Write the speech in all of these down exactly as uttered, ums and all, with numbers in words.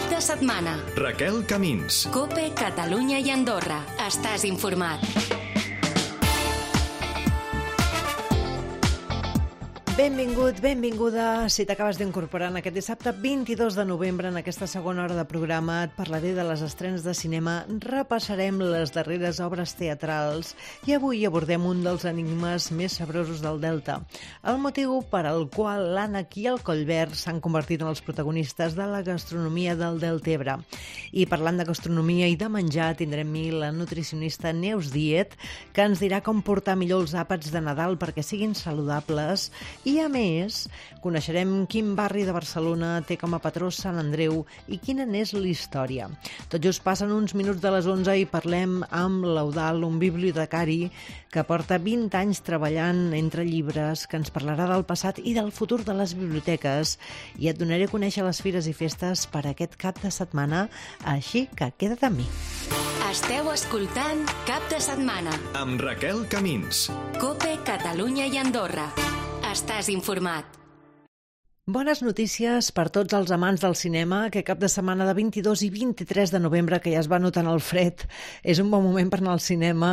Cap de setmana. Raquel Camins. COPE, Catalunya i Andorra. Estàs informat. Benvingut, benvinguda. Si t'acabes d'incorporar en aquest dissabte vint-i-dos de novembre, en aquesta segona hora de programa, et parlaré de les estrenes de cinema, repassarem les darreres obres teatrals i avui abordem un dels enigmes més sabrosos del Delta, el motiu per al qual l'ànec i el collverd s'han convertit en els protagonistes de la gastronomia del Deltebre. I parlant de gastronomia i de menjar, tindrem amb mi la nutricionista Neus Diet, que ens dirà com portar millor els àpats de Nadal perquè siguin saludables. I, a més, coneixerem quin barri de Barcelona té com a patró Sant Andreu i quina n'és la història. Tot just passen uns minuts de les onze i parlem amb l'Eudald, un bibliotecari que porta vint anys treballant entre llibres, que ens parlarà del passat i del futur de les biblioteques. I et donaré a conèixer les fires i festes per aquest cap de setmana, així que queda't amb mi. Esteu escoltant Cap de Setmana. Amb Raquel Camins. COPE, Catalunya i Andorra. Estàs informat. Bones notícies per tots els amants del cinema, que cap de setmana de vint-i-dos i vint-i-tres de novembre, que ja es va notant el fred, és un bon moment per anar al cinema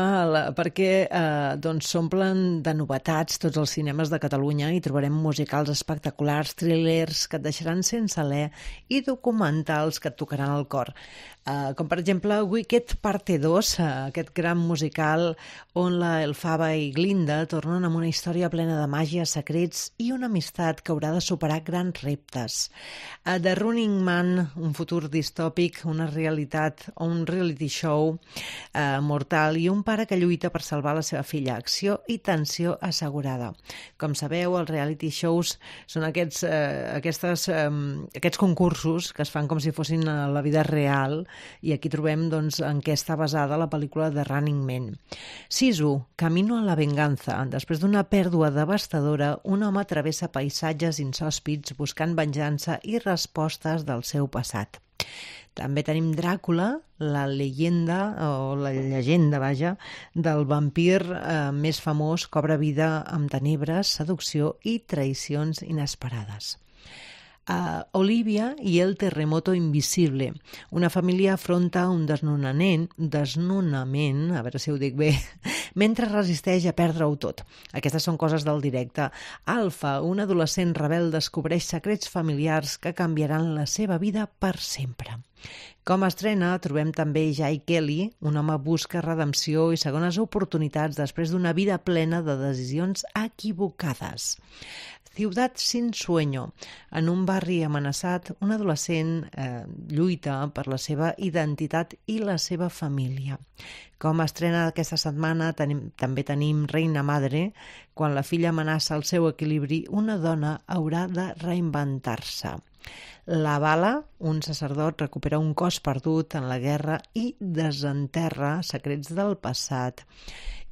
perquè eh, doncs s'omplen de novetats tots els cinemes de Catalunya i trobarem musicals espectaculars, thrillers que et deixaran sense alè i documentals que et tocaran el cor. Uh, com per exemple Wicked Parte dos, uh, aquest gran musical on la Elfaba i Glinda tornen amb una història plena de màgia, secrets i una amistat que haurà de superar grans reptes. Uh, The Running Man, un futur distòpic, una realitat o un reality show uh, mortal i un pare que lluita per salvar la seva filla. Acció i tensió assegurada. Com sabeu, els reality shows són aquests, uh, aquestes, um, aquests concursos que es fan com si fossin a la vida real. I aquí trobem doncs, en què està basada la pel·lícula The Running Man. Sisu, Camino a la venganza. Després d'una pèrdua devastadora, un home travessa paisatges insòspits buscant venjança i respostes del seu passat. També tenim Dràcula, la llegenda, o la llegenda, vaja, del vampir eh, més famós, cobra vida amb tenebres, seducció i traïcions inesperades. Uh, Olivia i el terremoto invisible. Una família afronta un desnonament, desnonament, a veure si ho dic bé, mentre resisteix a perdre-ho tot. Aquestes són coses del directe. Alfa, un adolescent rebel, descobreix secrets familiars que canviaran la seva vida per sempre. Com a estrena, trobem també Jai Kelly, un home busca redempció i segones oportunitats després d'una vida plena de decisions equivocades. Ciudad sin sueño. En un barri amenaçat, un adolescent eh, lluita per la seva identitat i la seva família. Com a estrena d'aquesta setmana tenim, també tenim Reina Madre. Quan la filla amenaça el seu equilibri, una dona haurà de reinventar-se. La bala, un sacerdot recupera un cos perdut en la guerra i desenterra secrets del passat.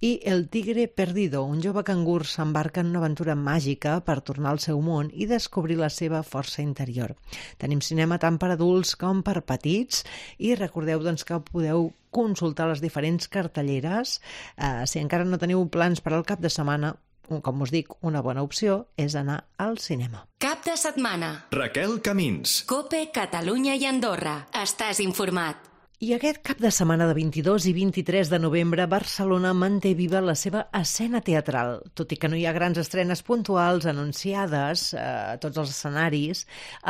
I El tigre perdido, un jove cangur s'embarca en una aventura màgica per tornar al seu món i descobrir la seva força interior. Tenim cinema tant per adults com per petits i recordeu doncs, que podeu consultar les diferents cartelleres. Eh, si encara no teniu plans per al cap de setmana, com us dic, una bona opció és anar al cinema. Cap de setmana. Raquel Camins. COPE, Catalunya i Andorra. Estàs informat. I aquest cap de setmana de vint-i-dos i vint-i-tres de novembre, Barcelona manté viva la seva escena teatral. Tot i que no hi ha grans estrenes puntuals anunciades eh, a tots els escenaris,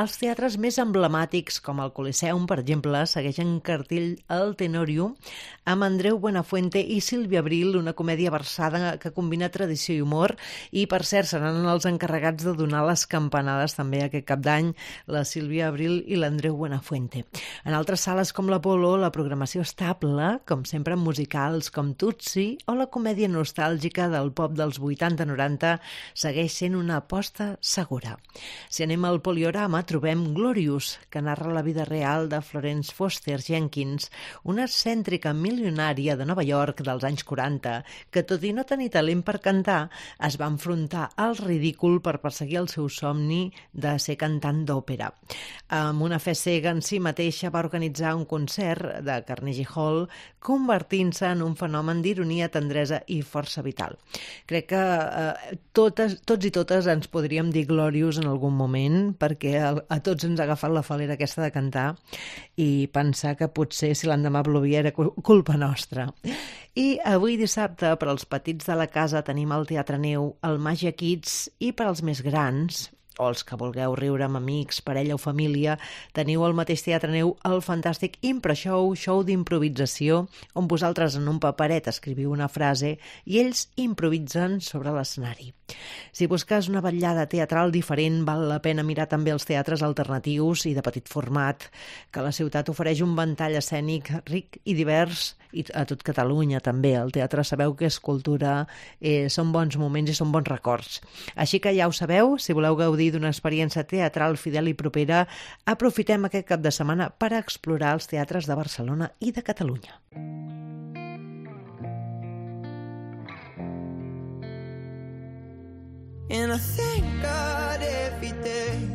els teatres més emblemàtics, com el Coliseum, per exemple, segueixen cartell El Tenorio, amb Andreu Buenafuente i Sílvia Abril, una comèdia versada que combina tradició i humor, i per cert seran els encarregats de donar les campanades també aquest cap d'any, la Sílvia Abril i l'Andreu Buenafuente. En altres sales com l'Apolo, la programació estable, com sempre amb musicals com Tutsi o la comèdia nostàlgica del pop dels vuitanta noranta, segueix sent una aposta segura. Si anem al Poliorama, trobem Glorious, que narra la vida real de Florence Foster Jenkins, una excèntrica milionària de Nova York dels anys quaranta, que tot i no tenir talent per cantar, es va enfrontar al ridícul per perseguir el seu somni de ser cantant d'òpera. Amb una fe cega en si mateixa va organitzar un concert teatre de Carnegie Hall, convertint-se en un fenomen d'ironia, tendresa i força vital. Crec que eh, totes, tots i totes ens podríem dir glorious en algun moment, perquè a, a tots ens ha agafat la falera aquesta de cantar i pensar que potser si l'endemà plovia era culpa nostra. I avui dissabte, per als petits de la casa, tenim al Teatre Neu el Màgia Kids, i per als més grans, o els que vulgueu riure amb amics, parella o família, teniu al mateix Teatre Neu el fantàstic Impro Show, show d'improvisació, on vosaltres en un paperet escriviu una frase i ells improvisen sobre l'escenari. Si busques una vetllada teatral diferent, val la pena mirar també els teatres alternatius i de petit format, que la ciutat ofereix un ventall escènic ric i divers, i a tot Catalunya també. El teatre sabeu que és cultura, eh, són bons moments i són bons records. Així que ja ho sabeu, si voleu gaudir d'una experiència teatral fidel i propera, aprofitem aquest cap de setmana per explorar els teatres de Barcelona i de Catalunya.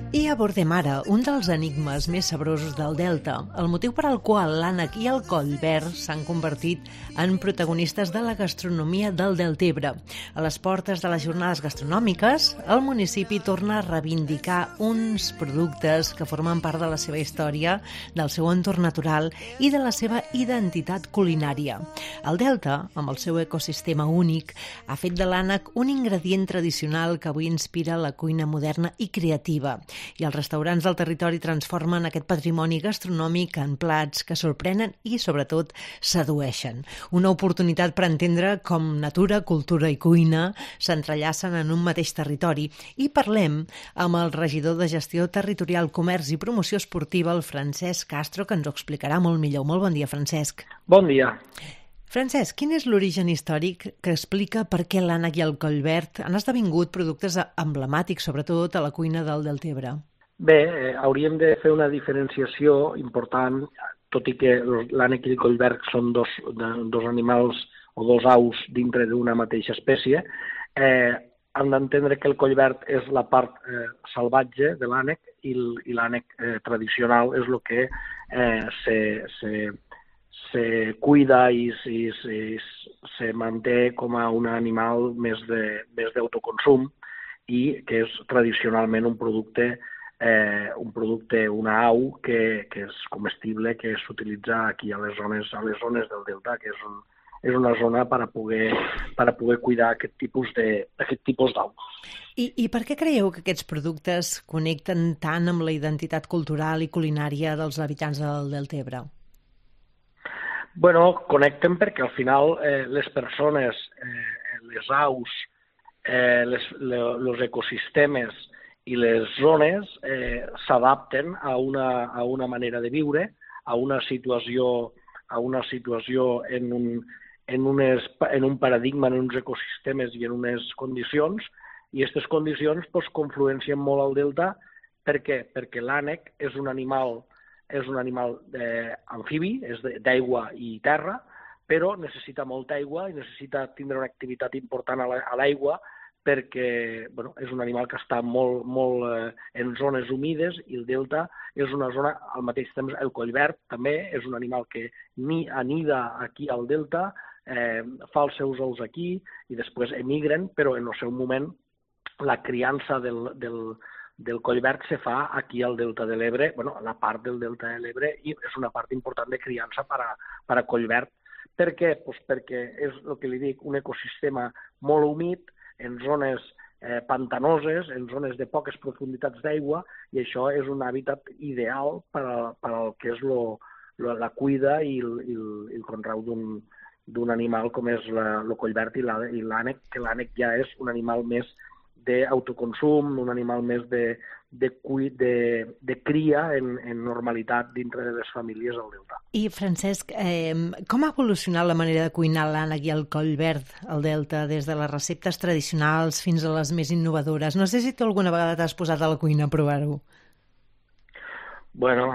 I abordem ara un dels enigmes més sabrosos del Delta, el motiu per al qual l'ànec i el collverd s'han convertit en protagonistes de la gastronomia del Deltebre. A les portes de les jornades gastronòmiques, el municipi torna a reivindicar uns productes que formen part de la seva història, del seu entorn natural i de la seva identitat culinària. El Delta, amb el seu ecosistema únic, ha fet de l'ànec un ingredient tradicional que avui inspira la cuina moderna i creativa. I els restaurants del territori transformen aquest patrimoni gastronòmic en plats que sorprenen i, sobretot, sedueixen. Una oportunitat per entendre com natura, cultura i cuina s'entrellacen en un mateix territori. I parlem amb el regidor de Gestió Territorial, Comerç i Promoció Esportiva, el Francesc Castro, que ens ho explicarà molt millor. Molt bon dia, Francesc. Bon dia. Francesc, quin és l'origen històric que explica per què l'ànec i el collverd han esdevingut productes emblemàtics, sobretot a la cuina del Deltebre? Bé, eh, hauríem de fer una diferenciació important, tot i que l'ànec i el collverd són dos, dos animals o dos aus dintre d'una mateixa espècie. Eh, hem d'entendre que el collverd és la part eh, salvatge de l'ànec i l'ànec eh, tradicional és el que eh, se... se se cuida i se, se, se manté com a un animal més de, més d'autoconsum i que és tradicionalment un producte, eh, un producte, una au que, que és comestible, que s'utilitza aquí a les zones, a les zones del Delta, que és, un, és una zona per a poder, per a poder cuidar aquest tipus de, aquest tipus d'au. I, I per què creieu que aquests productes connecten tant amb la identitat cultural i culinària dels habitants del Deltebre? Bueno, connecten perquè al final eh, les persones, eh, les aus, eh, les, le, los ecosistemes i les zones eh, s'adapten a una, a una manera de viure, a una situació, a una situació en, un, en, unes, en un paradigma, en uns ecosistemes i en unes condicions, i aquestes condicions pues, confluencien molt al delta. Per què? Perquè l'ànec és un animal és un animal eh, amfibi, és d'aigua i terra, però necessita molta aigua i necessita tindre una activitat important a l'aigua perquè bueno, és un animal que està molt, molt eh, en zones humides i el delta és una zona, al mateix temps el collverd també és un animal que ni anida aquí al delta, eh, fa els seus ous aquí i després emigren, però en el seu moment la criança del, del del collverd se fa aquí al Delta de l'Ebre, bueno, a la part del Delta de l'Ebre, i és una part important de criança per a, per a collverd. Per què? Pues perquè és el que li dic, un ecosistema molt humit, en zones eh, pantanoses, en zones de poques profunditats d'aigua, i això és un hàbitat ideal per, a, per al que és lo, lo, la cuida i el, i el, i el conreu d'un d'un animal com és la, el collverd i l'ànec, que l'ànec ja és un animal més d'autoconsum, un animal més de, de, de, de cria en, en normalitat dintre de les famílies al Delta. I, Francesc, eh, com ha evolucionat la manera de cuinar l'ànec i el collverd al Delta, des de les receptes tradicionals fins a les més innovadores? No sé si tu alguna vegada t'has posat a la cuina a provar-ho. Bueno,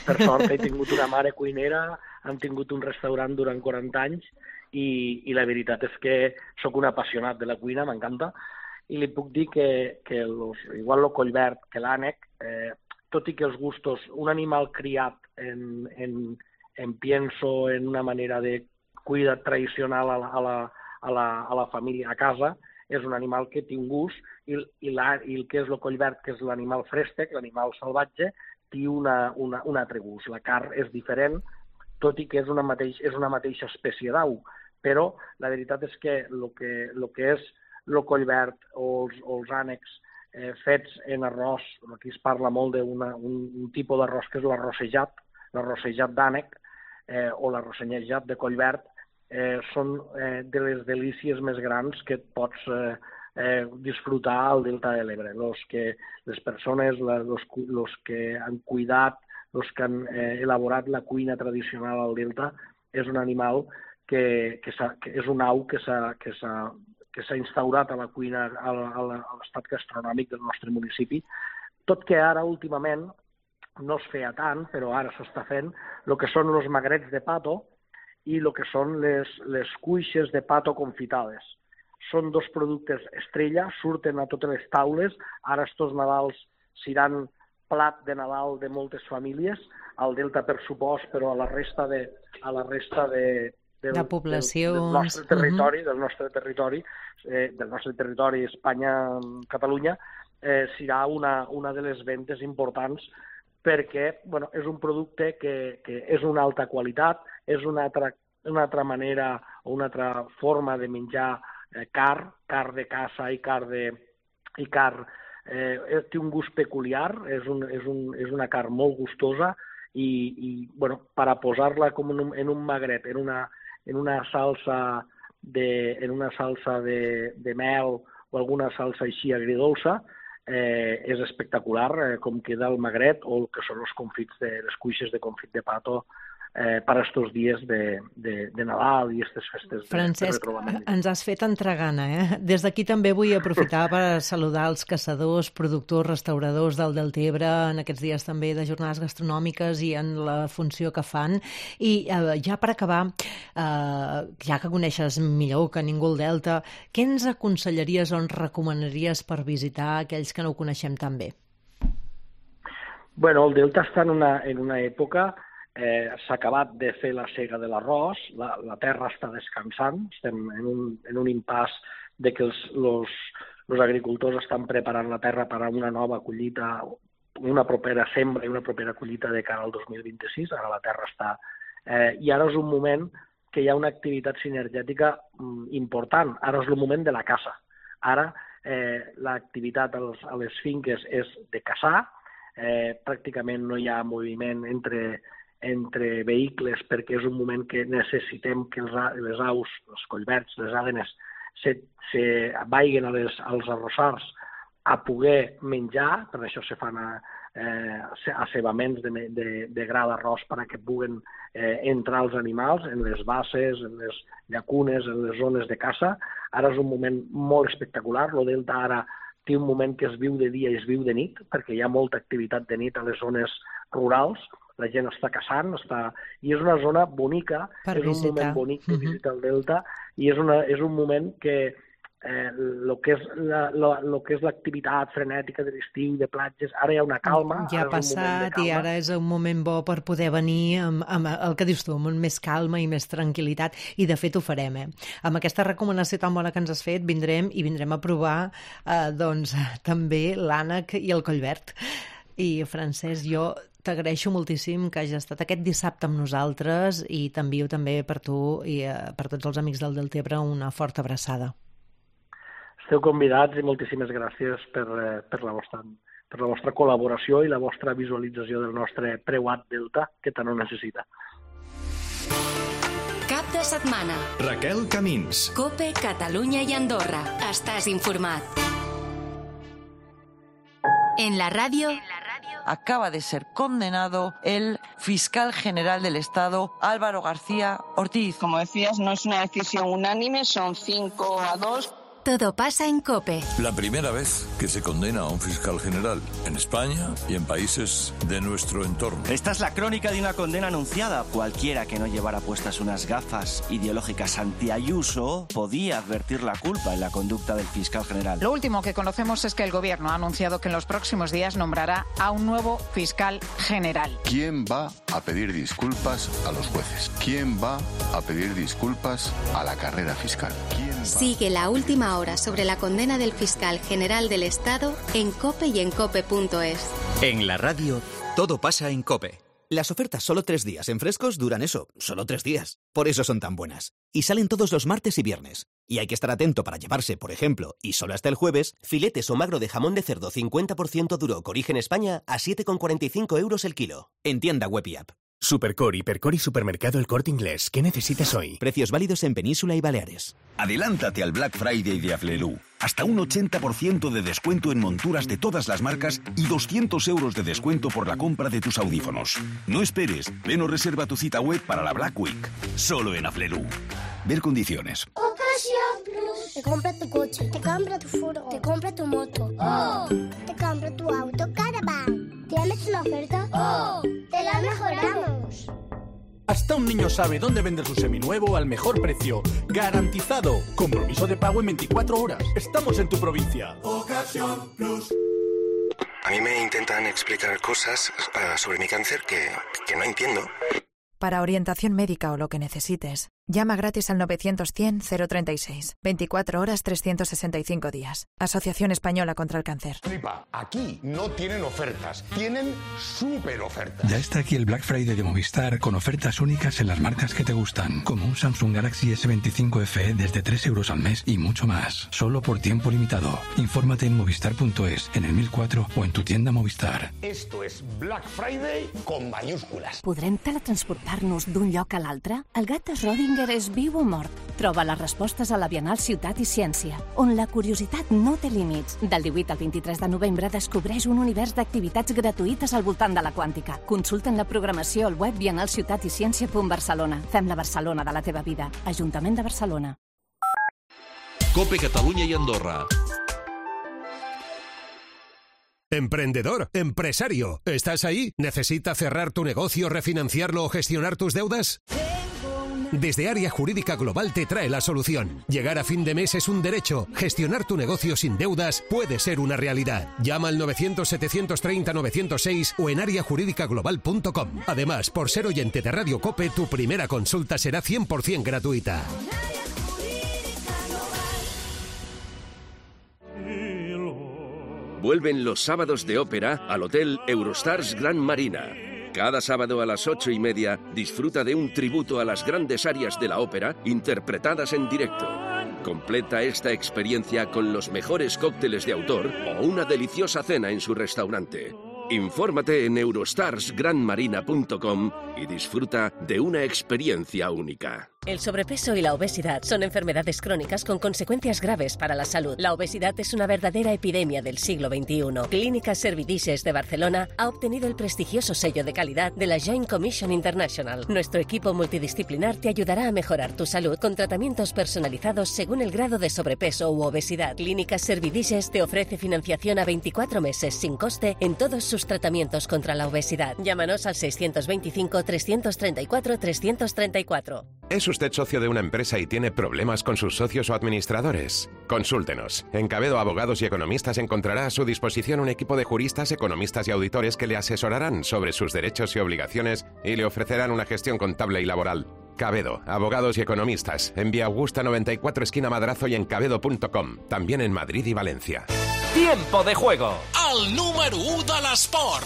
per sort he tingut una mare cuinera, hem tingut un restaurant durant quaranta anys i, i la veritat és que sóc un apassionat de la cuina, m'encanta, i li puc dir que, que los, igual el collverd que l'ànec, eh, tot i que els gustos, un animal criat en, en, em pienso en una manera de cuida tradicional a la, a la, a la, a la família, a casa, és un animal que té un gust, i, i, la, i el que és el collverd, que és l'animal frèstec, l'animal salvatge, té una, una, un altre gust. La carn és diferent, tot i que és una, mateix, és una mateixa espècie d'au, però la veritat és que el que, lo que és el collverd o els, o els ànecs eh, fets en arròs, aquí es parla molt d'un un tipus d'arròs que és l'arrossejat, l'arrossejat d'ànec eh, o l'arrossejat de collverd, eh, són eh, de les delícies més grans que et pots eh, eh, disfrutar al Delta de l'Ebre. Los que, les persones, la, los, los que han cuidat, los que han eh, elaborat la cuina tradicional al Delta, és un animal que, que, que és un au que s'ha que s'ha que s'ha instaurat a la cuina, a l'estat gastronòmic del nostre municipi, tot que ara, últimament, no es feia tant, però ara s'està fent, el que són els magrets de pato i el que són les, les cuixes de pato confitades. Són dos productes estrella, surten a totes les taules, ara estos Nadals seran plat de Nadal de moltes famílies, al Delta per supost, però a la resta de, a la resta de, del, de poblacions, del, del nostre territori, uh-huh. del nostre territori, eh, del nostre territori Espanya-Catalunya, eh, serà una, una de les ventes importants perquè bueno, és un producte que, que és una alta qualitat, és una altra, una altra manera o una altra forma de menjar eh, carn, carn de caça i carn de... I carn, eh, té un gust peculiar, és, un, és, un, és una carn molt gustosa i, i bueno, per a posar-la com en un, en un magret, en una, en una salsa de, en una salsa de, de mel o alguna salsa així agridolça, eh, és espectacular eh, com queda el magret o el que són els confits de les cuixes de confit de pato eh, per a estos dies de, de, de Nadal i aquestes festes de, Francesc, de retrobament. ens has fet entrar gana, eh? Des d'aquí també vull aprofitar per saludar els caçadors, productors, restauradors del Deltebre en aquests dies també de jornades gastronòmiques i en la funció que fan. I eh, ja per acabar, eh, ja que coneixes millor que ningú el Delta, què ens aconsellaries o ens recomanaries per visitar aquells que no ho coneixem tan bé? Bueno, el Delta està en una, en una època... Eh, s'ha acabat de fer la sega de l'arròs, la, la terra està descansant, estem en un, en un impàs de que els, los, los agricultors estan preparant la terra per a una nova collita, una propera sembra i una propera collita de cara al dos mil vint-i-sis, ara la terra està... Eh, I ara és un moment que hi ha una activitat sinergètica mm, important, ara és el moment de la caça. Ara eh, l'activitat als, a les finques és de caçar, eh, pràcticament no hi ha moviment entre... entre vehicles perquè és un moment que necessitem que els, les aus, els collverds, les àdenes, se, se vaiguen a les, als arrossars a poder menjar, per això se fan a, eh, acebaments de, de, de gra d'arròs perquè puguen eh, entrar els animals en les basses, en les llacunes, en les zones de caça. Ara és un moment molt espectacular, el Delta ara té un moment que es viu de dia i es viu de nit, perquè hi ha molta activitat de nit a les zones rurals, la gent està caçant, està... i és una zona bonica, per és visitar. Un moment bonic de visitar el Delta, i és, una, és un moment que eh, lo que és la, lo, lo que és l'activitat frenètica de l'estiu, de platges, ara hi ha una calma. Ja ha passat i ara és un moment bo per poder venir amb, amb el que dius tu, amb més calma i més tranquil·litat, i de fet ho farem. Eh? Amb aquesta recomanació tan bona que ens has fet, vindrem i vindrem a provar eh, doncs, també l'ànec i el collverd. I, Francesc, jo t'agraeixo moltíssim que hagis estat aquest dissabte amb nosaltres i t'envio també per tu i eh, per tots els amics del Deltebre una forta abraçada. Esteu convidats i moltíssimes gràcies per, eh, per, la vostra, per la vostra col·laboració i la vostra visualització del nostre preuat Delta, que tant ho necessita. Cap de setmana. Raquel Camins. COPE, Catalunya i Andorra. Estàs informat. En la radio... Acaba de ser condenado el fiscal general del Estado, Álvaro García Ortiz. Como decías, no es una decisión unánime, son cinco a dos. Todo pasa en COPE. La primera vez que se condena a un fiscal general en España y en países de nuestro entorno. Esta es la crónica de una condena anunciada. Cualquiera que no llevara puestas unas gafas ideológicas anti-Ayuso podía advertir la culpa en la conducta del fiscal general. Lo último que conocemos es que el Gobierno ha anunciado que en los próximos días nombrará a un nuevo fiscal general. ¿Quién va a pedir disculpas a los jueces? ¿Quién va a pedir disculpas a la carrera fiscal? ¿Quién va... Sigue la última hora sobre la condena del fiscal general del Estado en COPE y en cope punto es. En la radio, todo pasa en COPE. Las ofertas solo tres días en Frescos duran eso, solo tres días. Por eso son tan buenas. Y salen todos los martes y viernes. Y hay que estar atento para llevarse, por ejemplo, y solo hasta el jueves, filetes o magro de jamón de cerdo cincuenta por ciento duro con origen España a siete con cuarenta y cinco euros el kilo. En tienda web y app. Supercor, Hipercor y Supermercado El Corte Inglés. ¿Qué necesitas hoy? Precios válidos en Península y Baleares. Adelántate al Black Friday de Aflelu. Hasta un ochenta por ciento de descuento en monturas de todas las marcas y doscientos euros de descuento por la compra de tus audífonos. No esperes, ven o reserva tu cita web para la Black Week. Solo en Aflelu. Ver condiciones. Ocasión Plus. Te compra tu coche, te compra tu furgo, te compra tu moto. ¡Oh! Te compra tu auto Caravan. ¿Tienes una oferta? ¡Oh! ¡Te la mejoramos! Hasta un niño sabe dónde vender su seminuevo al mejor precio. ¡Garantizado! Compromiso de pago en veinticuatro horas. Estamos en tu provincia. Ocasión Plus. A mí me intentan explicar cosas uh, sobre mi cáncer que, que no entiendo. Para orientación médica o lo que necesites, llama gratis al novecientos cien cero treinta y seis. veinticuatro horas trescientos sesenta y cinco días. Asociación Española contra el Cáncer. Flipa, aquí no tienen ofertas, tienen súper ofertas. Ya está aquí el Black Friday de Movistar con ofertas únicas en las marcas que te gustan, como un Samsung Galaxy ese veinticinco F E desde tres euros al mes y mucho más, solo por tiempo limitado. Infórmate en movistar punto es, en el mil cuatro o en tu tienda Movistar. Esto es Black Friday con mayúsculas. Podrem teletransportar-nos d'un lloc a l'altre? El gat de Schrödinger és viu o mort? Troba les respostes a la Bienal Ciutat i Ciència, on la curiositat no té límits. Del divuit al vint-i-tres de novembre descobreix un univers d'activitats gratuïtes al voltant de la quàntica. Consulta'n la programació al web bienal ciutat i ciència punt barcelona. Fem la Barcelona de la teva vida. Ajuntament de Barcelona. COPE Catalunya i Andorra. Emprendedor, empresario, ¿estás ahí? ¿Necesitas cerrar tu negocio, refinanciarlo o gestionar tus deudas? Desde Área Jurídica Global te trae la solución. Llegar a fin de mes es un derecho. Gestionar tu negocio sin deudas puede ser una realidad. Llama al novecientos setecientos treinta novecientos seis o en área jurídica global punto com. Además, por ser oyente de Radio COPE, tu primera consulta será cien por ciento gratuita. Vuelven los sábados de ópera al Hotel Eurostars Gran Marina. Cada sábado a las ocho y media disfruta de un tributo a las grandes arias de la ópera interpretadas en directo. Completa esta experiencia con los mejores cócteles de autor o una deliciosa cena en su restaurante. Infórmate en eurostars gran marina punto com y disfruta de una experiencia única. El sobrepeso y la obesidad son enfermedades crónicas con consecuencias graves para la salud. La obesidad es una verdadera epidemia del siglo veintiuno. Clínicas Servidices de Barcelona ha obtenido el prestigioso sello de calidad de la Joint Commission International. Nuestro equipo multidisciplinar te ayudará a mejorar tu salud con tratamientos personalizados según el grado de sobrepeso u obesidad. Clínicas Servidices te ofrece financiación a veinticuatro meses sin coste en todos sus tratamientos contra la obesidad. Llámanos al seiscientos veinticinco trescientos treinta y cuatro trescientos treinta y cuatro. ¿Es usted socio de una empresa y tiene problemas con sus socios o administradores? Consúltenos. En Cabedo Abogados y Economistas encontrará a su disposición un equipo de juristas, economistas y auditores que le asesorarán sobre sus derechos y obligaciones y le ofrecerán una gestión contable y laboral. Cabedo, Abogados y Economistas, en Vía Augusta noventa y cuatro, esquina Madrazo y en cabedo punto com. También en Madrid y Valencia. Tiempo de juego. El número u de l'esport.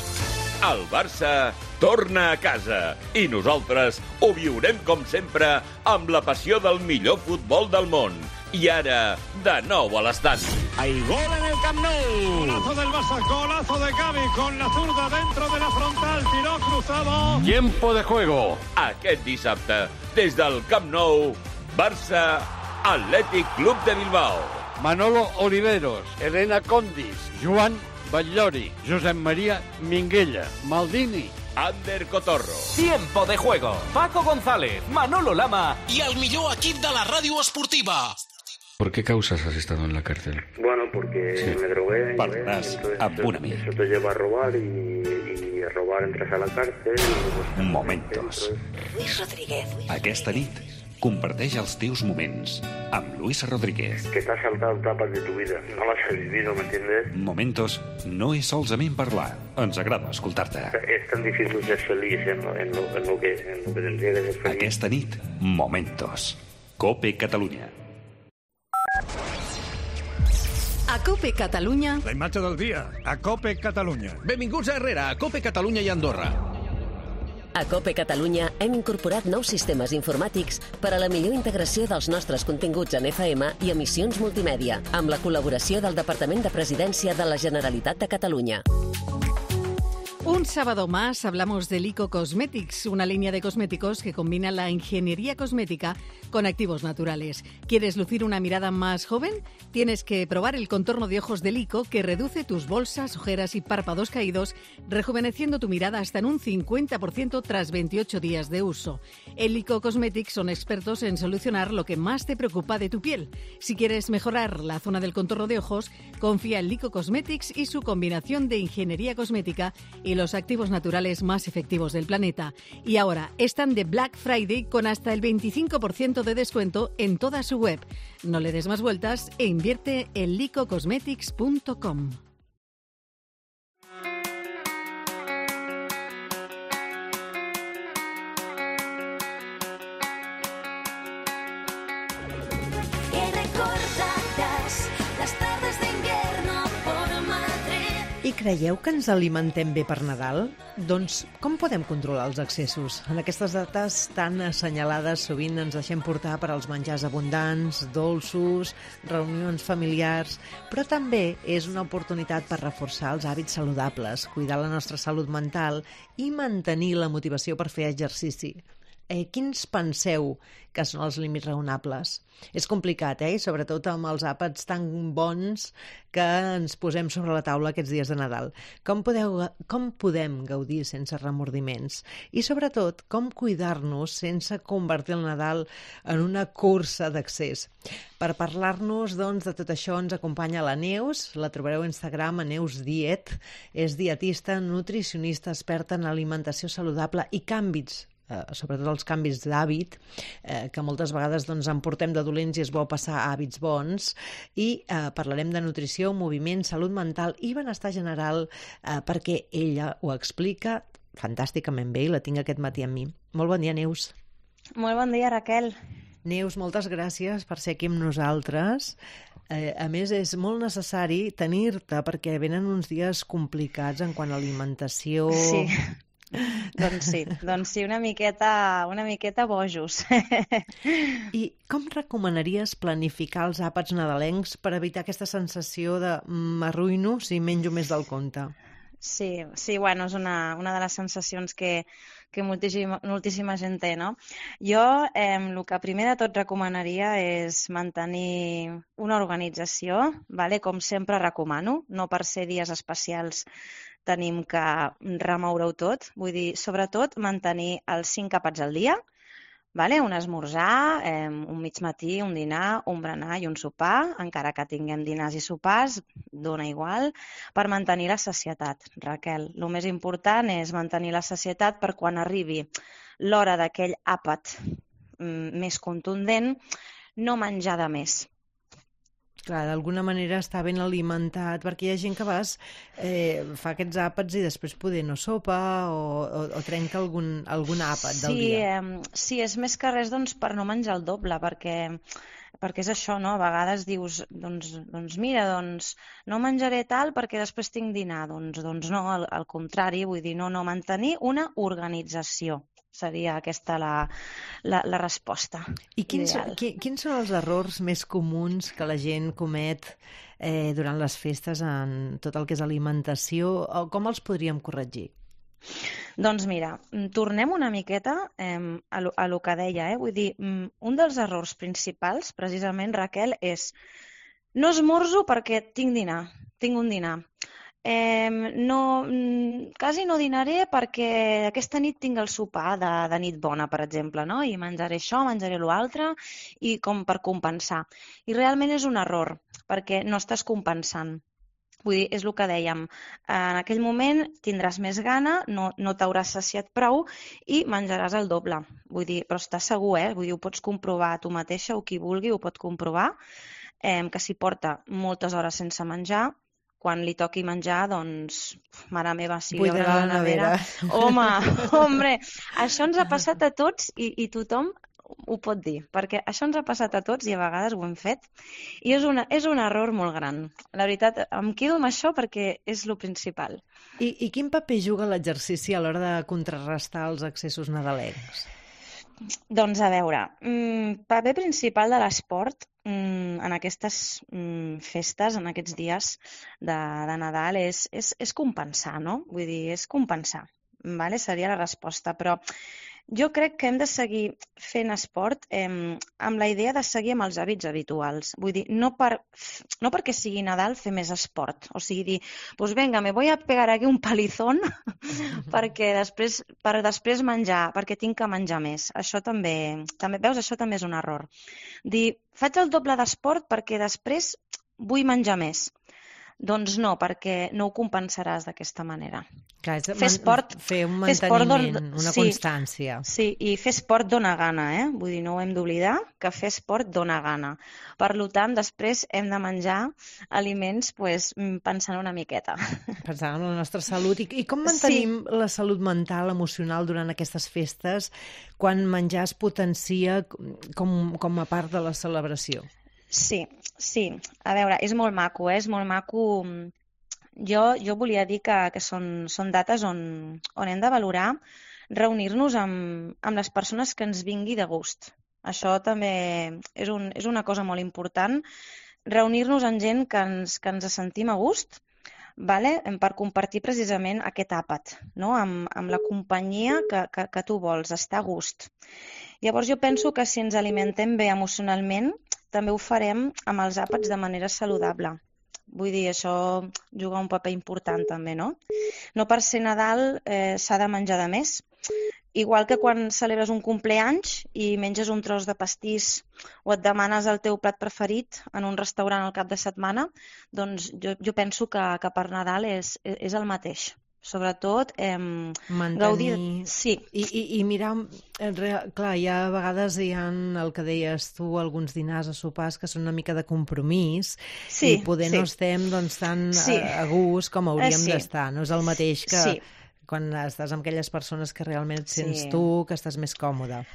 El Barça torna a casa i nosaltres ho viurem com sempre amb la passió del millor futbol del món. I ara, de nou a l'estadi. Hay gol en el Camp Nou. Golazo del Barça, golazo de Gavi con la zurda dentro de la frontal, tiró cruzado. Tiempo de juego. Aquest dissabte, des del Camp Nou, Barça, Atlètic Club de Bilbao. Manolo Oliveros, Elena Condis, Joan Batllori, Josep María Minguella, Maldini, Ander Cotorro. Tiempo de juego. Paco González, Manolo Lama i el millor equip de la ràdio esportiva. ¿Por qué causas has estado en la cárcel? Bueno, porque sí. me drogué. Parlaràs amb un amic. Eso te lleva a robar y, y a robar entras a la cárcel. Y... Momentos. Luis Rodríguez. Aquesta nit, comparteix els teus moments amb Luis Rodríguez. Que t'has saltado etapas de tu vida. No las has vivido, ¿me entiendes? Momentos no és solament parlar. Ens agrada escoltar-te. Es tan difícil ser feliz en lo, en lo, en lo, que, en lo que tendría que ser feliz. Aquesta nit, Momentos. COPE Catalunya. A COPE Catalunya... La imatge del dia, a COPE Catalunya. Benvinguts a Herrera, a COPE Catalunya i Andorra. A COPE Catalunya hem incorporat nous sistemes informàtics per a la millor integració dels nostres continguts en F M i emissions multimèdia, amb la col·laboració del Departament de Presidència de la Generalitat de Catalunya. Un sábado más hablamos de Lico Cosmetics, una línea de cosméticos que combina la ingeniería cosmética con activos naturales. ¿Quieres lucir una mirada más joven? Tienes que probar el contorno de ojos de Lico, que reduce tus bolsas, ojeras y párpados caídos, rejuveneciendo tu mirada hasta en un cincuenta por ciento tras veintiocho días de uso. En Lico Cosmetics son expertos en solucionar lo que más te preocupa de tu piel. Si quieres mejorar la zona del contorno de ojos, confía en Lico Cosmetics y su combinación de ingeniería cosmética y los activos naturales más efectivos del planeta. Y ahora están de Black Friday con hasta el veinticinco por ciento de descuento en toda su web. No le des más vueltas e invierte en lico cosmetics punto com. I creieu que ens alimentem bé per Nadal? Doncs com podem controlar els excessos? En aquestes dates tan assenyalades sovint ens deixem portar per als menjars abundants, dolços, reunions familiars, però també és una oportunitat per reforçar els hàbits saludables, cuidar la nostra salut mental i mantenir la motivació per fer exercici. Eh, quins penseu que són els límits raonables? És complicat, eh? Sobretot amb els àpats tan bons que ens posem sobre la taula aquests dies de Nadal. Com, podeu, com podem gaudir sense remordiments? I sobretot, com cuidar-nos sense convertir el Nadal en una cursa d'accés? Per parlar-nos doncs, de tot això ens acompanya la Neus, la trobareu a Instagram a Neus Diet, és dietista, nutricionista, experta en alimentació saludable i canvis, Eh, sobretot els canvis d'hàbit, eh, que moltes vegades doncs, en portem de dolents i és bo passar a hàbits bons, i eh, parlarem de nutrició, moviment, salut mental i benestar general, eh, perquè ella ho explica fantàsticament bé i la tinc aquest matí amb mi. Molt bon dia, Neus. Molt bon dia, Raquel. Neus, moltes gràcies per ser aquí amb nosaltres. Eh, a més, és molt necessari tenir-te perquè venen uns dies complicats en quant a alimentació... Sí. Doncs sí, doncs sí, una miqueta, una miqueta bojos. I com recomanaries planificar els àpats nadalencs per evitar aquesta sensació de m'arruïno si menjo més del compte? Sí, sí, bueno, és una, una de les sensacions que, que moltíssima, moltíssima gent té, no? Jo eh, el que primer de tot recomanaria és mantenir una organització, vale? Com sempre recomano, no per ser dies especials tenim que remoure-ho tot, vull dir, sobretot mantenir els cinc àpats al dia, vale? Un esmorzar, eh, un mig matí, un dinar, un berenar i un sopar, encara que tinguem dinars i sopars, dona igual, per mantenir la sacietat, Raquel. El més important és mantenir la sacietat per quan arribi l'hora d'aquell àpat mm, més contundent, no menjar de més. Clar, d'alguna manera està ben alimentat, perquè hi ha gent que a vegades eh, fa aquests àpats i després poder no sopa o, o, o trenca algun, algun àpat del sí, dia. Eh, sí, és més que res doncs, per no menjar el doble, perquè, perquè és això, no? A vegades dius, doncs, doncs mira, doncs, no menjaré tal perquè després tinc dinar. Doncs, doncs no, al, al contrari, vull dir, no, no, mantenir una organització. Seria aquesta la, la, la resposta. I quins, qui, quins són els errors més comuns que la gent comet eh, durant les festes en tot el que és alimentació? O com els podríem corregir? Doncs mira, tornem una miqueta eh, a, lo, a lo que deia. Eh? Vull dir, un dels errors principals, precisament, Raquel, és no esmorzo perquè tinc dinar, tinc un dinar. Eh, no, quasi no dinaré perquè aquesta nit tinc el sopar de, de nit bona, per exemple, no? I menjaré això, menjaré l'altre, i com per compensar. I realment és un error, perquè no estàs compensant. Vull dir, és el que dèiem, en aquell moment tindràs més gana, no, no t'hauràs saciat prou i menjaràs el doble. Vull dir, però estàs segur, eh? Vull dir, ho pots comprovar tu mateixa o qui vulgui ho pot comprovar, eh, que si porta moltes hores sense menjar, quan li toqui menjar, doncs, mare meva, si li obre la nevera... Home, hombre, això ens ha passat a tots i, i tothom ho pot dir, perquè això ens ha passat a tots i a vegades ho hem fet i és, una, és un error molt gran. La veritat, em quedo amb això perquè és el principal. I, i quin paper juga l'exercici a l'hora de contrarrestar els excessos nadalencs? Doncs a veure, el paper principal de l'esport en aquestes festes, en aquests dies de, de Nadal, és, és, és compensar, no? Vull dir, és compensar, vale? Seria la resposta, però jo crec que hem de seguir fent esport eh, amb la idea de seguir amb els hàbits habituals. Vull dir, no, per, no perquè sigui Nadal fer més esport. O sigui, dir, pues venga, me voy a pegar aquí un palizón perquè després, per després menjar, perquè tinc que menjar més. Això també, també, veus, això també és un error. Dir, faig el doble d'esport perquè després vull menjar més. Doncs no, perquè no ho compensaràs d'aquesta manera. Clar, fer esport, fer un manteniment, don... una sí, constància. Sí, i fer esport dona gana, eh? Vull dir, no ho hem d'oblidar, que fer esport dona gana. Per tant, després hem de menjar aliments pues, pensant una miqueta. Pensant en la nostra salut. I, i com mantenim sí. la salut mental, emocional durant aquestes festes, quan menjar es potencia com, com a part de la celebració? Sí, sí. A veure, és molt maco, eh? És molt maco. Jo, jo volia dir que, que són, són dates on, on hem de valorar reunir-nos amb, amb les persones que ens vingui de gust. Això també és, un, és una cosa molt important. Reunir-nos amb gent que ens, que ens sentim a gust, vale? Per compartir precisament aquest àpat, no? amb, amb la companyia que, que, que tu vols, estar a gust. Llavors jo penso que si ens alimentem bé emocionalment, també ho farem amb els àpats de manera saludable. Vull dir, això juga un paper important també, no? No per ser Nadal eh, s'ha de menjar de més. Igual que quan celebres un compleanys i menges un tros de pastís o et demanes el teu plat preferit en un restaurant al cap de setmana, doncs jo, jo penso que, que per Nadal és, és el mateix. Sobretot eh, mantenir... gaudir... Sí. I, i, i mirar... Clar, hi ha a vegades hi ha el que deies tu, alguns dinars o sopars que són una mica de compromís sí, i poder sí. no estem doncs, tan sí. a, a gust com hauríem eh, sí. d'estar. No és el mateix que sí. quan estàs amb aquelles persones que realment et sents sí. tu, que estàs més còmode.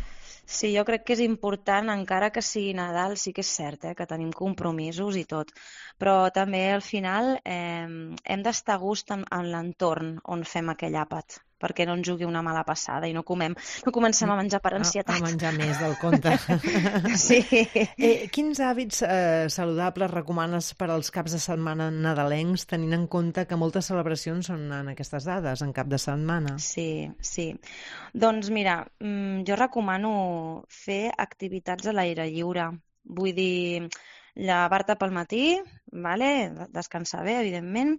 Sí, jo crec que és important, encara que sigui Nadal, sí que és cert eh, que tenim compromisos i tot, però també al final eh, hem d'estar a gust en, en l'entorn on fem aquell àpat, perquè no ens jugui una mala passada i no, comem, no comencem a menjar per ansietat. A, a menjar més del compte. Sí. Eh, quins hàbits eh, saludables recomanes per als caps de setmana nadalencs, tenint en compte que moltes celebracions són en aquestes dades, en cap de setmana? Sí, sí. Doncs mira, jo recomano fer activitats a l'aire lliure. Vull dir, llevar-te pel matí, vale? Descansar bé, evidentment,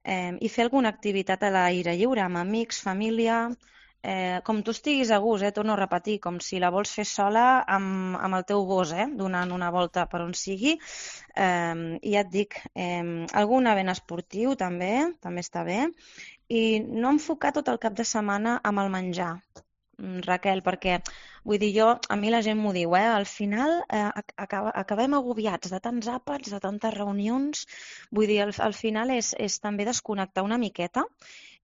eh, i fer alguna activitat a l'aire lliure, amb amics, família, eh, com tu estiguis a gust, eh, torno a repetir, com si la vols fer sola amb, amb el teu gos, eh, donant una volta per on sigui. Eh, I ja et dic, eh, algun event esportiu també, també està bé, i no enfocar tot el cap de setmana amb el menjar. Raquel, perquè vull dir jo, a mi la gent m'ho diu, eh? Al final eh, acaba, acabem agobiats de tants àpats, de tantes reunions, vull dir, al, al final és, és també desconnectar una miqueta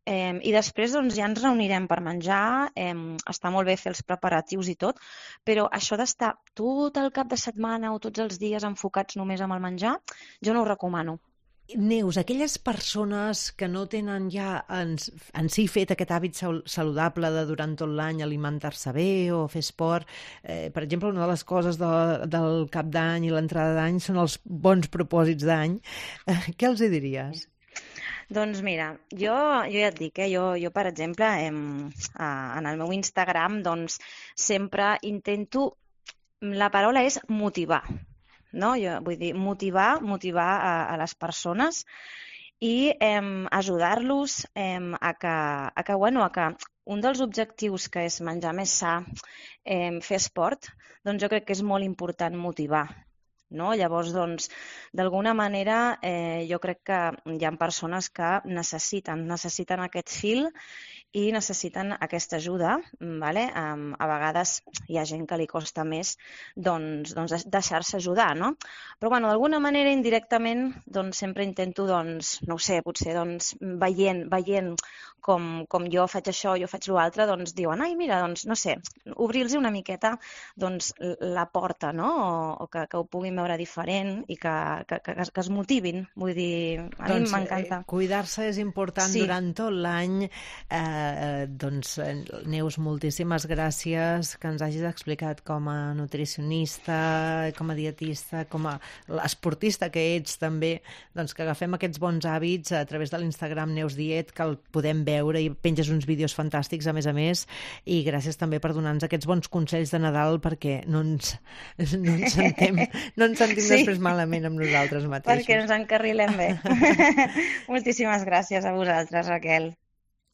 eh, i després doncs, ja ens reunirem per menjar, eh, està molt bé fer els preparatius i tot, però això d'estar tot el cap de setmana o tots els dies enfocats només amb el menjar, jo no ho recomano. Neus, aquelles persones que no tenen ja en, en si fet aquest hàbit saludable de durant tot l'any alimentar-se bé o fer esport, eh, per exemple, una de les coses de, del cap d'any i l'entrada d'any són els bons propòsits d'any. Eh, què els hi diries? Doncs mira, jo, jo ja et dic, eh, jo, jo per exemple, em, a, en el meu Instagram doncs, sempre intento, la paraula és motivar, no? Jo vull dir, motivar, motivar a, a les persones i eh, ajudar-los eh, a que, a que, bueno, a que un dels objectius que és menjar més sa, eh, fer esport, doncs jo crec que és molt important motivar. No? Llavors, doncs, d'alguna manera, eh, jo crec que hi ha persones que necessiten, necessiten aquest fil i necessiten aquesta ajuda. Vale? Um, a vegades hi ha gent que li costa més doncs, doncs deixar-se ajudar, no? Però bueno, d'alguna manera, indirectament, doncs, sempre intento, doncs, no ho sé, potser doncs, veient, veient com, com jo faig això, jo faig l'altre, doncs diuen, ai, mira, doncs, no sé, obrir-los una miqueta doncs, la porta, no? O, o que, que ho puguin veure diferent i que, que, que, que es motivin. Vull dir, a doncs, mi m'encanta. Eh, cuidar-se és important sí. durant tot l'any. Eh, doncs, Neus, moltíssimes gràcies que ens hagis explicat com a nutricionista, com a dietista, com a esportista que ets també, doncs que agafem aquests bons hàbits a través de l'Instagram Neus Diet, que el podem veure i penges uns vídeos fantàstics a més a més, i gràcies també per donar-nos aquests bons consells de Nadal perquè no ens, no ens sentem, no ens sentim sí. després malament amb nosaltres mateixos. Perquè ens encarrilem bé. Moltíssimes gràcies a vosaltres, Raquel.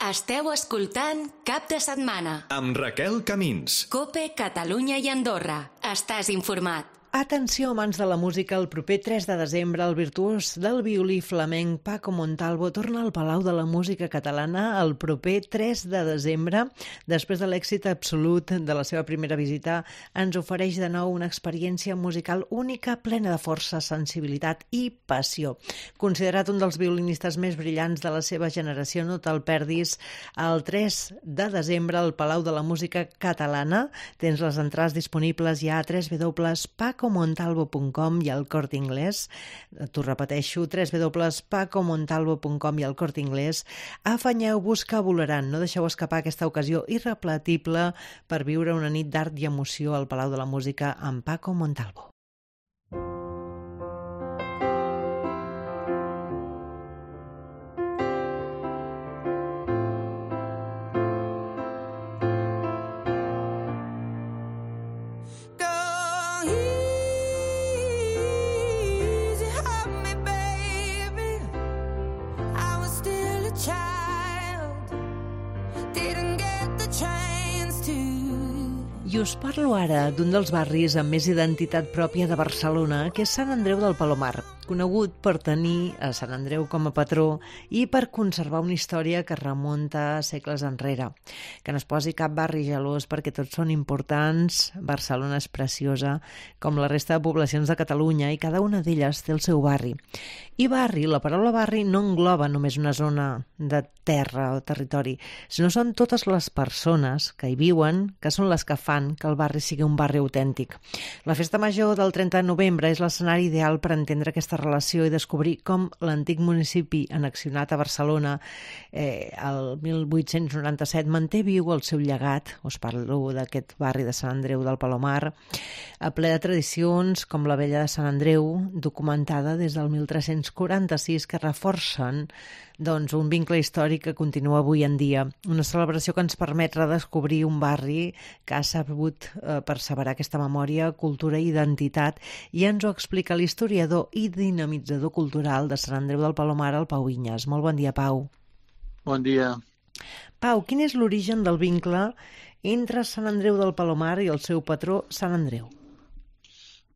Esteu escoltant Cap de Setmana amb Raquel Camins. COPE, Catalunya i Andorra. Estàs informat. Atenció, amants de la música, el proper tres de desembre el virtuós del violí flamenc Paco Montalvo torna al Palau de la Música Catalana el proper tres de desembre. Després de l'èxit absolut de la seva primera visita, ens ofereix de nou una experiència musical única, plena de força, sensibilitat i passió. Considerat un dels violinistes més brillants de la seva generació, no te'l perdis. El tres de desembre al Palau de la Música Catalana tens les entrades disponibles ja a w w w punt paco montalvo punt com i al Corte Inglés. T'ho repeteixo, w w w punt paco montalvo punt com i al Corte Inglés. Afanyeu-vos que volaran. No deixeu escapar aquesta ocasió irrepetible per viure una nit d'art i emoció al Palau de la Música amb Paco Montalvo. I us parlo ara d'un dels barris amb més identitat pròpia de Barcelona, que és Sant Andreu del Palomar, conegut per tenir a Sant Andreu com a patró i per conservar una història que remunta segles enrere. Que no es posi cap barri gelós perquè tots són importants. Barcelona és preciosa, com la resta de poblacions de Catalunya, i cada una d'elles té el seu barri. I barri, la paraula barri no engloba només una zona de terra o territori, sinó són totes les persones que hi viuen, que són les que fan que el barri sigui un barri autèntic. La festa major del trenta de novembre és l'escenari ideal per entendre aquesta relació i descobrir com l'antic municipi annexionat a Barcelona eh, el mil vuit-cents noranta-set manté viu el seu llegat. Us parlo d'aquest barri de Sant Andreu del Palomar, a ple de tradicions com la Vella de Sant Andreu, documentada des del mil tres-cents quaranta-sis, que reforcen doncs, un vincle històric que continua avui en dia. Una celebració que ens permet redescobrir un barri que ha sabut eh, perseverar aquesta memòria, cultura i identitat, i ens ho explica l'historiador i dinamitzador cultural de Sant Andreu del Palomar, el Pau Vinyes. Molt bon dia, Pau. Bon dia. Pau, quin és l'origen del vincle entre Sant Andreu del Palomar i el seu patró, Sant Andreu?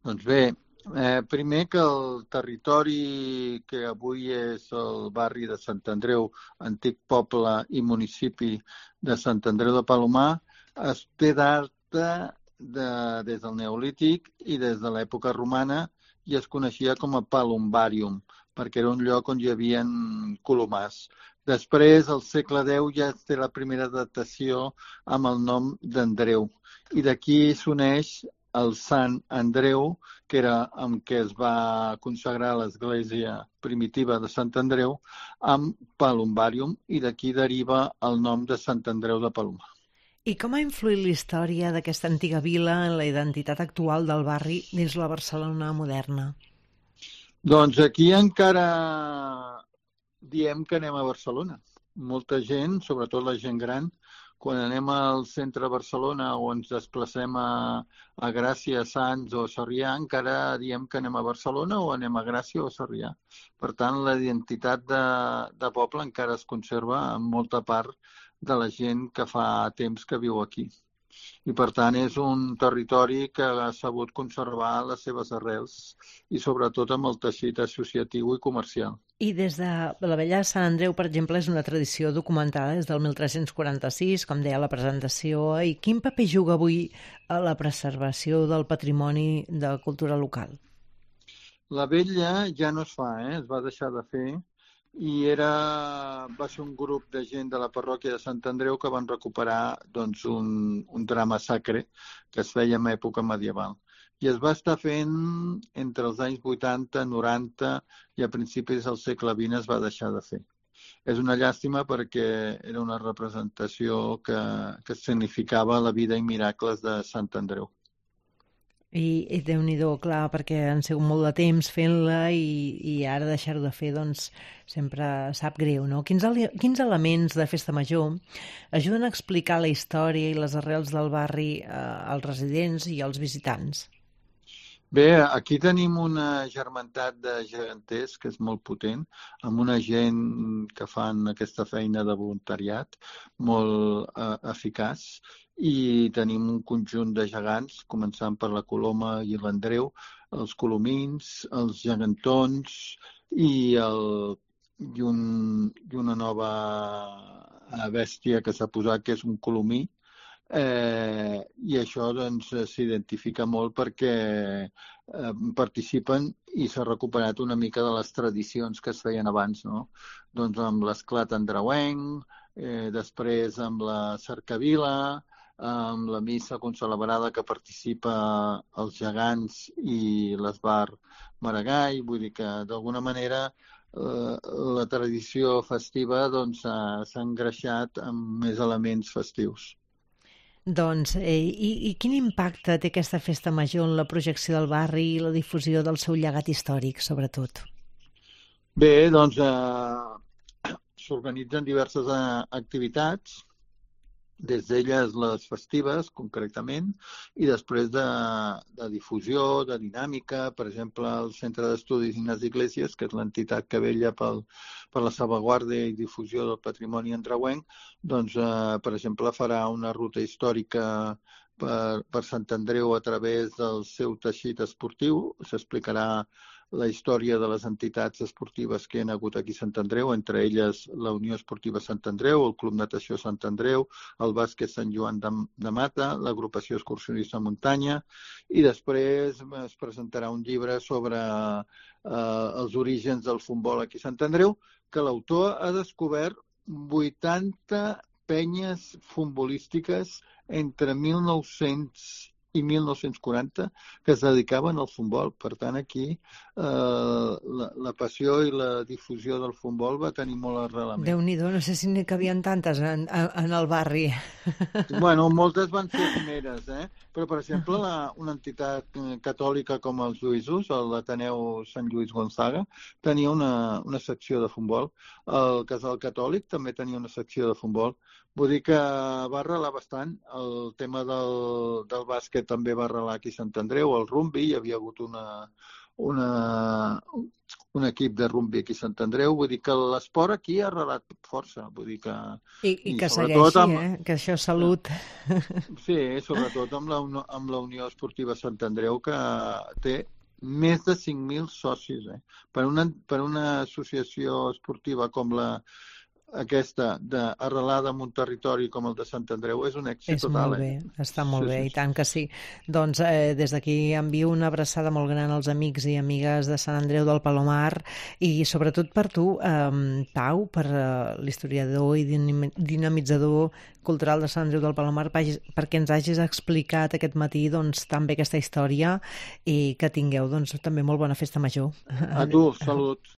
Doncs bé, Eh, primer que el territori que avui és el barri de Sant Andreu, antic poble i municipi de Sant Andreu de Palomar, es té data de, des del Neolític i des de l'època romana, i es coneixia com a Palumbarium, perquè era un lloc on hi havia colomars. Després, al segle deu, ja es té la primera datació amb el nom d'Andreu, i d'aquí s'uneix el Sant Andreu, que era amb què es va consagrar l'església primitiva de Sant Andreu, amb Palumbarium, i d'aquí deriva el nom de Sant Andreu de Palomar. I com ha influït la història d'aquesta antiga vila en la identitat actual del barri dins la Barcelona moderna? Doncs aquí encara diem que anem a Barcelona. Molta gent, sobretot la gent gran, quan anem al centre de Barcelona o ens desplacem a, a Gràcia, Sants o Sarrià, encara diem que anem a Barcelona o anem a Gràcia o Sarrià. Per tant, la identitat de, de poble encara es conserva en molta part de la gent que fa temps que viu aquí. I, per tant, és un territori que ha sabut conservar les seves arrels i, sobretot, amb el teixit associatiu i comercial. I des de la vella Sant Andreu, per exemple, és una tradició documentada des del mil tres-cents quaranta-sis, com deia la presentació, i quin paper juga avui a la preservació del patrimoni de cultura local? La vella ja no es fa, eh? Es va deixar de fer, i era, va ser un grup de gent de la parròquia de Sant Andreu que van recuperar doncs, un, un drama sacre que es feia en època medieval. I es va estar fent entre els anys vuitanta, noranta i a principis del segle vint es va deixar de fer. És una llàstima perquè era una representació que, que significava la vida i miracles de Sant Andreu. I, i Déu-n'hi-do, clar, perquè han sigut molt de temps fent-la i, i ara deixar-ho de fer, doncs, sempre sap greu, no? Quins, quins elements de Festa Major ajuden a explicar la història i les arrels del barri eh, als residents i als visitants? Bé, aquí tenim una germantat de geganters que és molt potent, amb una gent que fan aquesta feina de voluntariat molt eh, eficaç, i tenim un conjunt de gegants, començant per la Coloma i l'Andreu, els colomins, els gegantons i, el, i, un, i una nova bèstia que s'ha posat, que és un colomí. Eh, I això doncs, s'identifica molt perquè eh, participen i s'ha recuperat una mica de les tradicions que es feien abans, no? Doncs amb l'esclat andreuenc, eh, després amb la cercavila, amb la missa concelebrada que participa els gegants i l'esbar Maragall. Vull dir que, d'alguna manera, eh, la tradició festiva doncs, s'ha engreixat amb més elements festius. Doncs, eh, i, i quin impacte té aquesta festa major en la projecció del barri i la difusió del seu llegat històric, sobretot? Bé, doncs, eh, s'organitzen diverses eh, activitats, des d'elles les festives, concretament, i després de, de difusió, de dinàmica. Per exemple, el Centre d'Estudis Ignasi Iglesias, que és l'entitat que vetlla pel, per la salvaguarda i difusió del patrimoni andreuenc, doncs, eh, per exemple, farà una ruta històrica per, per Sant Andreu a través del seu teixit esportiu. S'explicarà la història de les entitats esportives que hi ha hagut aquí a Sant Andreu, entre elles la Unió Esportiva Sant Andreu, el Club Natació Sant Andreu, el Bàsquet Sant Joan de, de Mata, l'Agrupació Excursionista Muntanya, i després es presentarà un llibre sobre eh, els orígens del futbol aquí a Sant Andreu, que l'autor ha descobert vuitanta penyes futbolístiques entre mil nou-cents i mil nou-cents quaranta que es dedicaven al futbol. Per tant, aquí eh, la, la passió i la difusió del futbol va tenir molt arrelament. Déu-n'hi-do, no sé si n'hi cabien tantes en, en el barri. Bueno, moltes van ser primeres, eh? Però, per exemple, la, una entitat catòlica com els Lluïsos, l'Ateneu Sant Lluís Gonzaga, tenia una, una secció de futbol. El Casal Catòlic també tenia una secció de futbol. Vull dir que va arrelar bastant. El tema del, del bàsquet també va arrelar aquí a Sant Andreu, el rugby, hi havia hagut una, una, un equip de rugby aquí a Sant Andreu. Vull dir que l'esport aquí ha arrelat força. Vull dir que, I, i, i que segueixi, amb, eh? Que això és salut. Sí, sobretot amb la, amb la Unió Esportiva Sant Andreu, que té més de cinc mil socis. Eh? Per, una, per una associació esportiva com la aquesta de, arrelada en un territori com el de Sant Andreu és un èxit és total. Molt bé, eh? està molt sí, bé, sí, i tant que sí. Doncs eh, des d'aquí envio una abraçada molt gran als amics i amigues de Sant Andreu del Palomar i sobretot per tu, eh, Pau, per eh, l'historiador i dinamitzador cultural de Sant Andreu del Palomar, perquè ens hagis explicat aquest matí doncs, tan bé aquesta història i que tingueu doncs, també molt bona festa major. A tu, salut.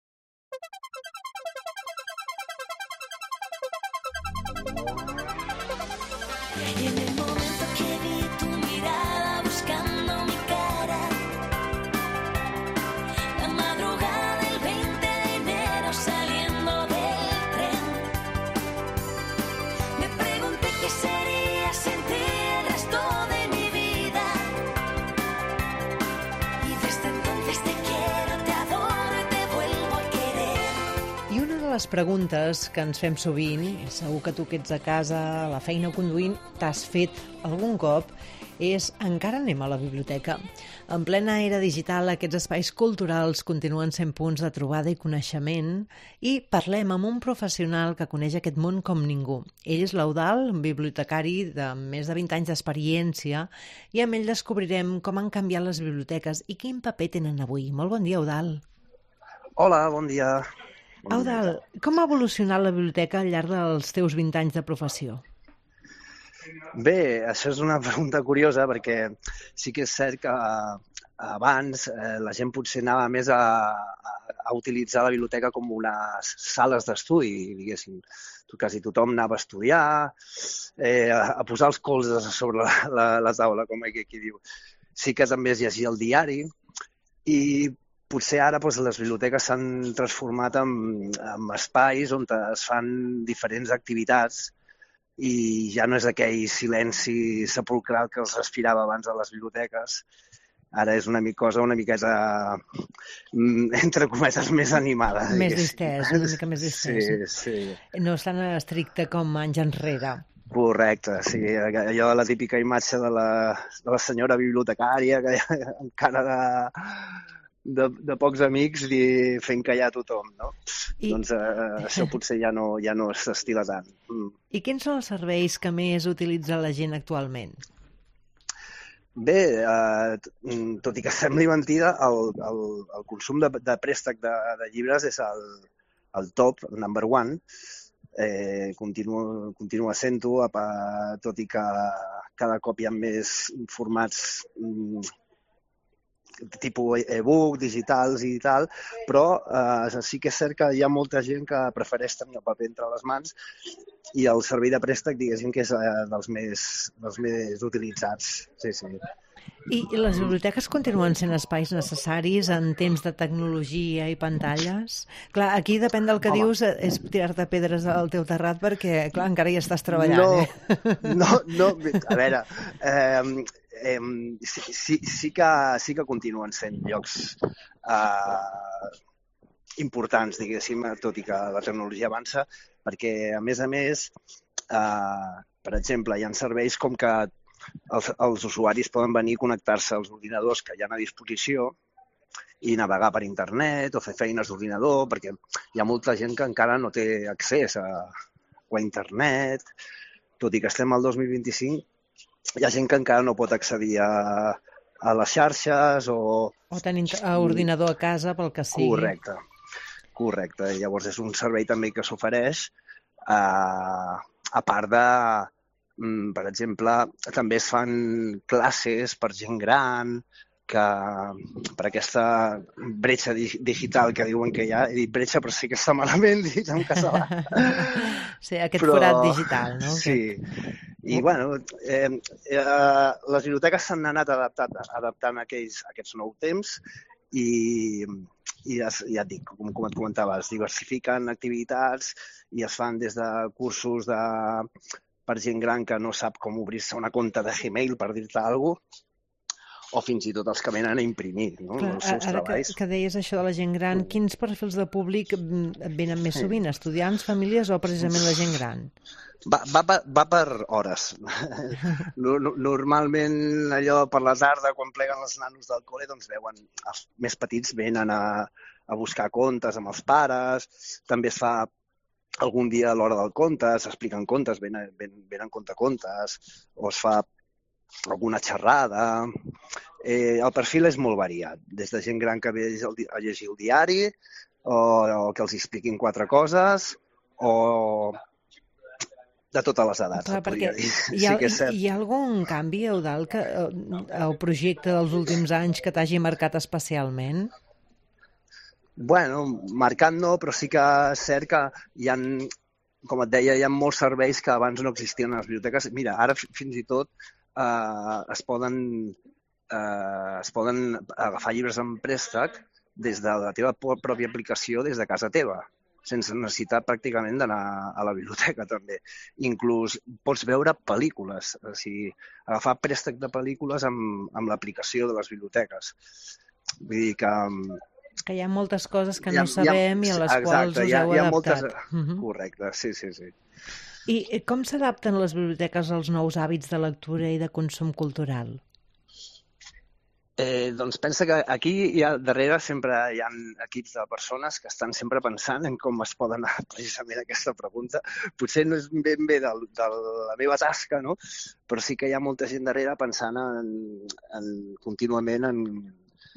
Y en el momento que vi tu mirada buscando mi cara, la madrugada del veinte de enero saliendo del tren, me pregunté qué será. les preguntes que ens fem sovint, i segur que tu que ets a casa, a la feina o conduint, t'has fet algun cop, és encara anem a la biblioteca? En plena era digital, aquests espais culturals continuen sent punts de trobada i coneixement, i parlem amb un professional que coneix aquest món com ningú. Ell és l'Eudald, un bibliotecari de més de vint anys d'experiència, i amb ell descobrirem com han canviat les biblioteques i quin paper tenen avui. Molt bon dia, Eudald. Hola, bon dia. Bon Eudald, dia. Com ha evolucionat la biblioteca al llarg dels teus vint anys de professió? Bé, això és una pregunta curiosa perquè sí que és cert que abans eh, la gent potser anava més a, a, a utilitzar la biblioteca com unes sales d'estudi, diguéssim. Quasi tothom anava a estudiar, eh, a, a posar els colzes sobre la, la, la taula, com aquí, aquí diu. Sí que també es llegia el diari i potser ara doncs, les biblioteques s'han transformat en, en espais on es fan diferents activitats i ja no és aquell silenci sepulcral que els respirava abans a les biblioteques. Ara és una cosa una miqueta, entre cometes, més animada. Més distès, una mica més distès. Sí, sí. No és tan estricte com anys enrere. Correcte, sí. Allò, la típica imatge de la, de la senyora bibliotecària, que encara de... De, de pocs amics i fent callar tothom, no? I... Doncs eh, això potser ja no, ja no s'estila tant. Mm. I quins són els serveis que més utilitza la gent actualment? Bé, eh, tot i que sembli mentida, el, el, el consum de, de préstec de, de llibres és el, el top, el number one. Eh, continua, continua sent-ho, tot i que cada cop hi ha més formats mm, tipus e-book, digitals i tal, però eh, sí que és cert que hi ha molta gent que prefereix tenir el paper entre les mans i el servei de préstec, diguéssim, que és eh, dels, més, dels més utilitzats. Sí, sí. I les biblioteques continuen sent espais necessaris en temps de tecnologia i pantalles? Clar, aquí depèn del que Home. dius, és tirar-te pedres al teu terrat perquè, clar, encara hi estàs treballant. No, eh? no, no, a veure... Eh, Eh, sí, sí, sí, que, sí que continuen sent llocs eh, importants, diguéssim, tot i que la tecnologia avança, perquè, a més a més, eh, per exemple, hi ha serveis com que els, els usuaris poden venir a connectar-se als ordinadors que hi ha a disposició i navegar per internet o fer feines d'ordinador, perquè hi ha molta gent que encara no té accés a, a internet, tot i que estem al dos mil vint-i-cinc, hi ha gent que encara no pot accedir a, a les xarxes o... O tenir ordinador a casa pel que sigui. Correcte, correcte. Llavors és un servei també que s'ofereix, eh, a part de, per exemple, també es fan classes per gent gran, que per aquesta bretxa digital que diuen que hi ha, he dit bretxa però sí que està malament dit en català. Sí, aquest però, forat digital, no? Sí, i bueno, eh, eh, les biblioteques s'han anat adaptant, adaptant a aquells, a aquests nous temps i, i ja, ja et dic, com, com et comentava, es diversifiquen activitats i es fan des de cursos de, per gent gran que no sap com obrir-se una compte de Gmail, per dir-te alguna cosa, o fins i tot els que venen a imprimir, no? Clar, els seus ara treballs. Que, que deies això de la gent gran, quins perfils de públic venen més sovint? Estudiants, famílies o precisament la gent gran? Va, va, va per hores. Normalment allò per la tarda, quan pleguen els nanos del col·le, doncs veuen, els més petits venen a, a buscar contes amb els pares, també es fa algun dia a l'hora del conte, s'expliquen contes, venen, venen contacontes, o es fa alguna xerrada. Eh, el perfil és molt variat, des de gent gran que ve a llegir el diari o, o que els expliquin quatre coses o de totes les edats. Clar, perquè hi ha, sí que és cert. Hi ha algun canvi, Eudald, que, el projecte dels últims anys que t'hagi marcat especialment? Bueno, marcat no, però sí que és cert que hi ha, com et deia, hi ha molts serveis que abans no existien a les biblioteques. Mira, ara fins i tot Uh, es poden uh, es poden agafar llibres en préstec des de la teva pròpia aplicació, des de casa teva, sense necessitat pràcticament d'anar a la biblioteca també. Inclús pots veure pel·lícules, o sigui, agafar préstec de pel·lícules amb, amb l'aplicació de les biblioteques. Vull dir que Que hi ha moltes coses que ha, no sabem i a les exacte, quals us hi ha, heu hi ha adaptat. Moltes... Uh-huh. Correcte, sí, sí, sí. I com s'adapten les biblioteques als nous hàbits de lectura i de consum cultural? Eh, doncs pensa que aquí hi ha, darrere sempre hi ha equips de persones que estan sempre pensant en com es poden anar precisament a aquesta pregunta. Potser no és ben bé de, de la meva tasca, no? Però sí que hi ha molta gent darrere pensant en, en, contínuament en,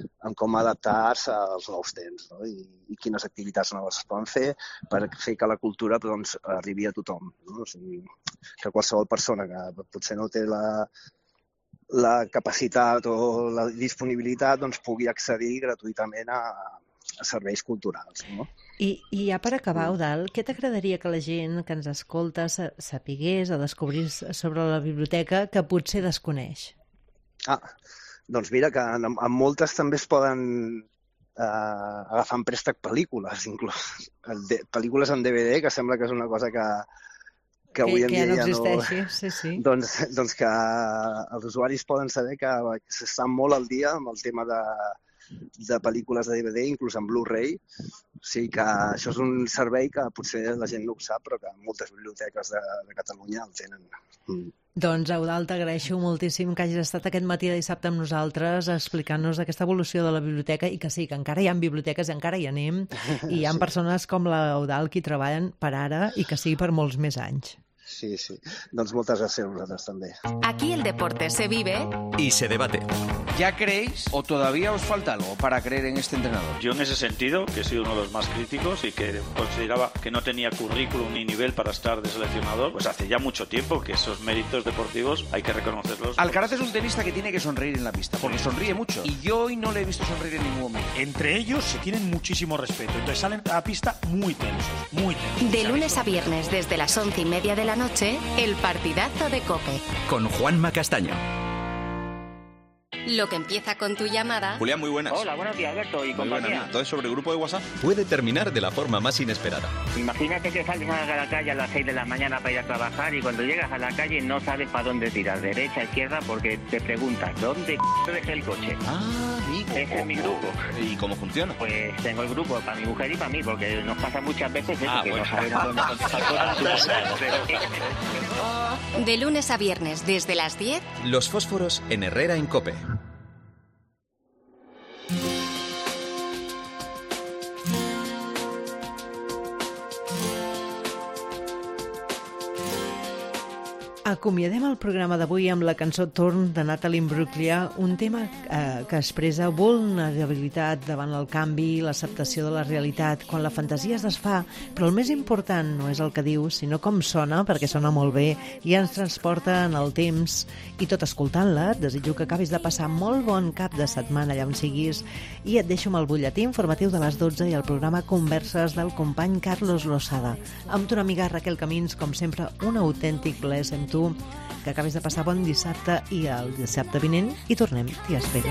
en com adaptar-se als nous temps, no? I, i quines activitats noves es poden fer per fer que la cultura doncs, arribi a tothom, no? O sigui, que qualsevol persona que potser no té la la capacitat o la disponibilitat doncs, pugui accedir gratuïtament a, a serveis culturals. No? I, I ja per acabar, Eudald, què t'agradaria que la gent que ens escolta sapigués o descobrís sobre la biblioteca que potser desconeix? Ah, doncs mira que en, en moltes també es poden eh, agafar en préstec pel·lícules, inclús de, pel·lícules en D V D, que sembla que és una cosa que que avui en que dia ja no ja existeixi, no... sí, sí. Doncs, doncs que els usuaris poden saber que s'estan molt al dia amb el tema de, de pel·lícules de D V D, inclús en Blu-ray. O sigui que això és un servei que potser la gent no ho sap, però que moltes biblioteques de, de Catalunya el tenen. Mm. Doncs, Eudald, t'agraeixo moltíssim que hagis estat aquest matí de dissabte amb nosaltres explicant-nos aquesta evolució de la biblioteca i que sí, que encara hi ha biblioteques i encara hi anem i hi ha sí. persones com l'Eudald que hi treballen per ara i que sigui per molts més anys. Sí, sí. Doncs moltes gràcies a vosaltres també. Aquí el deporte se vive y se debate. ¿Ya creéis o todavía os falta algo para creer en este entrenador? Yo en ese sentido, que he sido uno de los más críticos y que consideraba que no tenía currículum ni nivel para estar de seleccionador, pues hace ya mucho tiempo que esos méritos deportivos hay que reconocerlos. Alcaraz es un tenista que tiene que sonreír en la pista, porque sonríe mucho. Y yo hoy no le he visto sonreír en ningún momento. Entre ellos se tienen muchísimo respeto, entonces salen a la pista muy tensos, muy tensos. De lunes a viernes desde las once y media de la noche, el partidazo de COPE. Con Juanma Castaño. Lo que empieza con tu llamada... Julián, muy buenas. Hola, buenos días, Alberto y compañía. Todo sobre el grupo de WhatsApp puede terminar de la forma más inesperada. Imagínate que sales a la calle a las seis de la mañana para ir a trabajar y cuando llegas a la calle no sabes para dónde tirar, derecha, izquierda, porque te preguntas, ¿dónde c*** dejé el coche? Ah, amigo. Ese es mi grupo. ¿Y cómo funciona? Pues tengo el grupo para mi mujer y para mí, porque nos pasa muchas veces eso, ah, que bueno. no sabemos dónde contestar cosas. De lunes a viernes desde las diez... Los fósforos en Herrera en COPE. Acomiadem el programa d'avui amb la cançó Torn de Natalie Imbruglia, un tema eh, que expressa vulnerabilitat davant el canvi, l'acceptació de la realitat, quan la fantasia es desfà, però el més important no és el que diu, sinó com sona, perquè sona molt bé i ens transporta en el temps. I tot escoltant-la, et desitjo que acabis de passar molt bon cap de setmana allà on siguis i et deixo amb el butlletí informatiu de les dotze i el programa Converses del company Carlos Losada. Amb tu una amiga Raquel Camins, com sempre, un autèntic plaer ser amb tu, que acabis de passar bon dissabte i el dissabte vinent hi tornem. T'hi espero.